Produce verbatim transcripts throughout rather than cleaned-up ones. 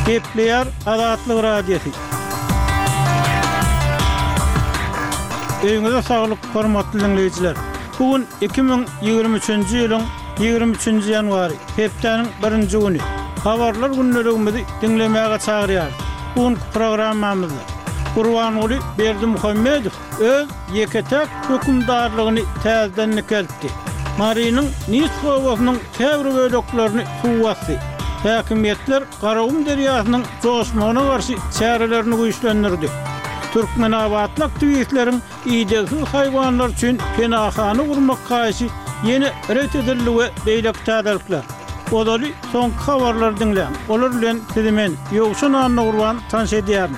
Gepleýär Azatlyk Radiosy. Öýüňize saglyk, hormatly diňleýjiler! Bu gün iki müň ýigrimi üçünji ýylyň ýigrimi üçünji ýanwary, hepdäniň birinji güni. Habarlar gündeligimizi diňlemäge çagyrýarys. Bu günki programmamyzda Gurbanguly Berdimuhamedow öz ýeke-täk hökümdarlygyny täzeden dikeltdi. Marynyň Nis obasynyň käbir böleklerini suw basdy. Häkimiýetler Garagum derýasynyň joşmagyna garşy çärelerini güýçlendirdi. Türkmenabatly aktiwistleriň idegsiz haýwanlar üçin penahana gurmak haýyşy ýene ret edildi we beýleki täzelikler. Ozaly soňky habarlary diňläň. Olar bilen sizi men, Ýowşan Annagurban tanyş edýärin.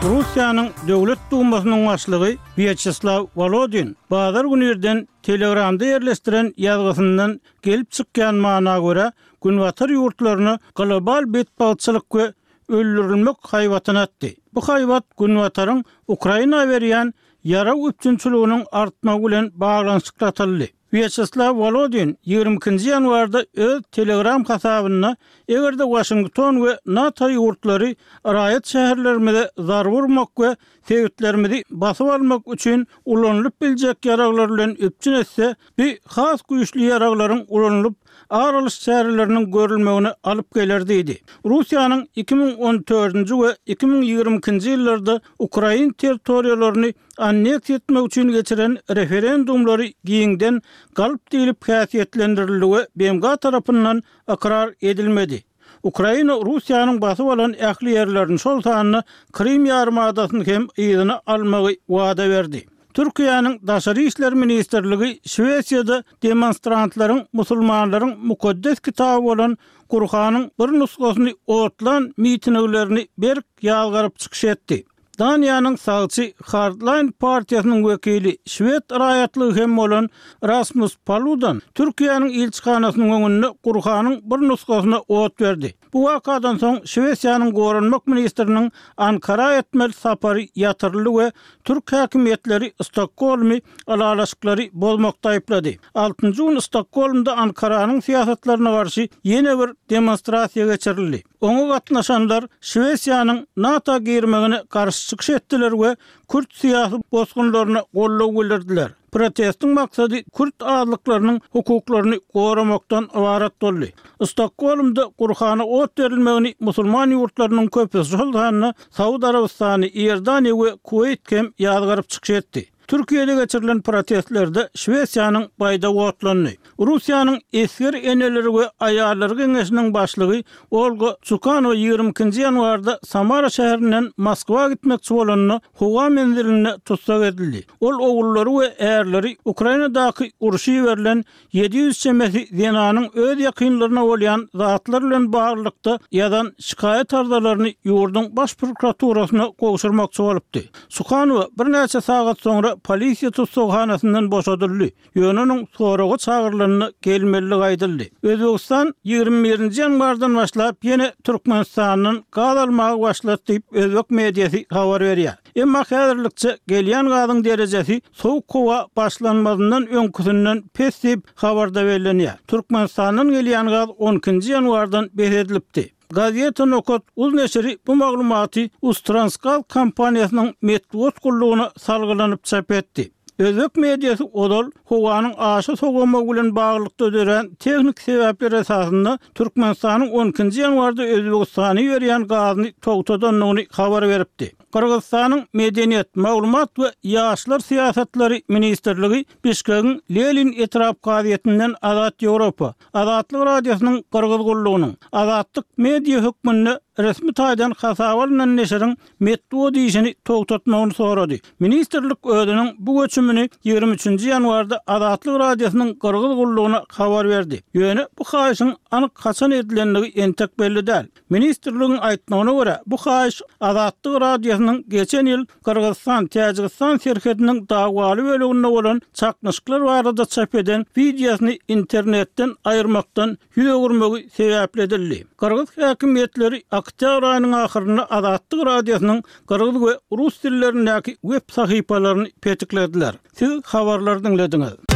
Russiýanyň Döwlet Dumasynyň başlygy Wýaçeslaw Wolodin bazar güni irden Telegramda ýerleşdiren ýazgysyndan gelip çykýan mana görä, Günbatar ýurtlaryna global betbagtçylyk we öldürilmek haýbatyny atdy. Bu haýbat Günbataryň Ukraina berýän ýarag üpjünçiliginiň artmagy bilen baglanyşykly atyldy. Wýaçeslaw Wolodin ýigrimi ikinji ýanwarda öz Telegram hasabynda, Eger-de Waşington we NATO ýurtlary raýat şäherlerimize zarba urmak we sebitlerimizi basyp almak üçin ulanylyp biljek ýaraglar bilen üpjün etse, bu has güýçli ýaraglaryň ulanylyp, ar alyş çäreleriniň görülmegine alyp geler diýdi. Russiýanyň iki müň on dördünji we iki müň ýigrimi ikinji ýyllarda ukrain territoriýalaryny anneksiýa etmek üçin geçiren referendumlary giňden galp diýlip häsiýetlendirildi we B M G tarapyndan ykrar edilmedi. Ukraina Russiýanyň basyp alan ähli ýerlerini, şol sanda Krym ýarymadasyny hem yzyna almagy wada berdi. Türkiýäniň Daşary işler ministrligi Şwesiýada demonstrantlaryň musulmanlaryň mukaddes kitaby bolan Gurhanyň bir nusgasyny otlan mitinglerini berk ýazgaryp çykyş etdi. Daniýanyň sagçy Hardline partiýasynyň wekili, şwed raýatlygy hem bolan Rasmus Paludan Türkiýäniň ilçihanasynyň öňünde Gurhanyň bir nusgasyna ot berdi. Bu wakadan soň Şwesiýanyň goranmak ministriniň Ankara etmeli sapary ýatyryldy we türk häkimiýetleri Stokgolmy ylalaşyklary bozmakda aýyplady. Altynjy gün Stokgolmda Ankaranyň syýasatlaryna garşy ýene bir demonstrasiýa geçirildi. Oňa gatnaşanlar Şwesiýanyň NATO girmegine garşy çykyş etdiler we kürt syýasy bosgunlaryna goldaw bildirdiler. Protestiň maksady kürt azlyklarynyň hukuklaryny goramakdan ybarat boldy. Stokgolmda Gurhana ot berilmegini musulman ýurtlarynyň köpüsi, şol sanda Saud Arabystany, Iordaniýa we Kuweýt hem ýazgaryp çykyş etdi. Türkiýede geçirilen protestlerde Şwesiýanyň baýdagy otlandy. Russiýanyň Esger eneleri we aýallar geňeşiniň başlygy Olga Çukanowa ýigrimi ikinji ýanwarda Samara şäherinden Moskwa gitmekçi bolanda howa menzilinde tussag edildi. Ol ogullary we ärleri Ukrainadaky urşa iberilen ýedi ýüz çemesi zenanyň öz ýakynlaryna bolýan zatlar bilen baglylykda ýazan şikaýat arzalaryny ýurduň baş prokuraturasyna gowşurmakçy bolupdy. Çukanowa birnäçe sagat soňra polisiýa tussaghanasyndan boşadyldy. Ýöne onuň soraga çagyrylanyna gelmeliligi aýdyldy. Özbegistan ýigrimi birinji ýanwardan başlap ýene Türkmenistandan gaz almaga başlady diýip, özbek mediasy habar berýär. Emma häzirlikçe gelýän gazyň derejesi sowuk howa başlanmazyndan öňküsinden pes diýip, habarda bellenýär. Türkmenistandan gelýän gaz on ikinji ýanwardan bes edilipdi. Gazeta Nokat uz neşiri bu maglumaty Uztransgaz kompaniýasynyň metbugat gullugyna salgylanyp çap etdi. Özbek mediasy ozal howanyň aşa sowamagy bilen baglylykda dörän tehniki sebäpler esasynda Türkmenistanyň on ikinji ýanwarda Özbegistana iberýän gazyny togtadandygyny habar beripdi. Gyrgyzystanyň Medeniýet, maglumat we ýaşlar syýasatlary ministrligi Bişkegiň Lenin etrap kazyýetinden Azat Ýewropa, Azatlyk Radiosynyň Gyrgyz gullugynyň, Azatlyk media hökmünde resmi taýdan hasaba alnan neşiriň metbugat işini togtatmagyny sorady. Ministrlik özüniň bu göçümini ýigrimi üçünji ýanwarda Azatlyk Radiosynyň Gyrgyz gullugyna habar berdi. Ýöne bu haýyşyň anyk haçan edilendigi entek belli däl. Ministrligiň aýtmagyna görä, bu haýyş Azatlyk Radiosynyň geçen ýyl Gyrgyzystan-Täjigistan serhediniň dawaly böleginde bolan çaknyşyklar barada çap eden wideosyny internetden aýyrmakdan ýüz öwürmegi sebäpli edildi. Gyrgyz häkimiýetleri oktýabr aýynyň ahyrynda Azatlyk Radiosynyň gyrgyz we rus dillerindäki web sahypalaryny petiklediler. Siz habarlary diňlediňiz.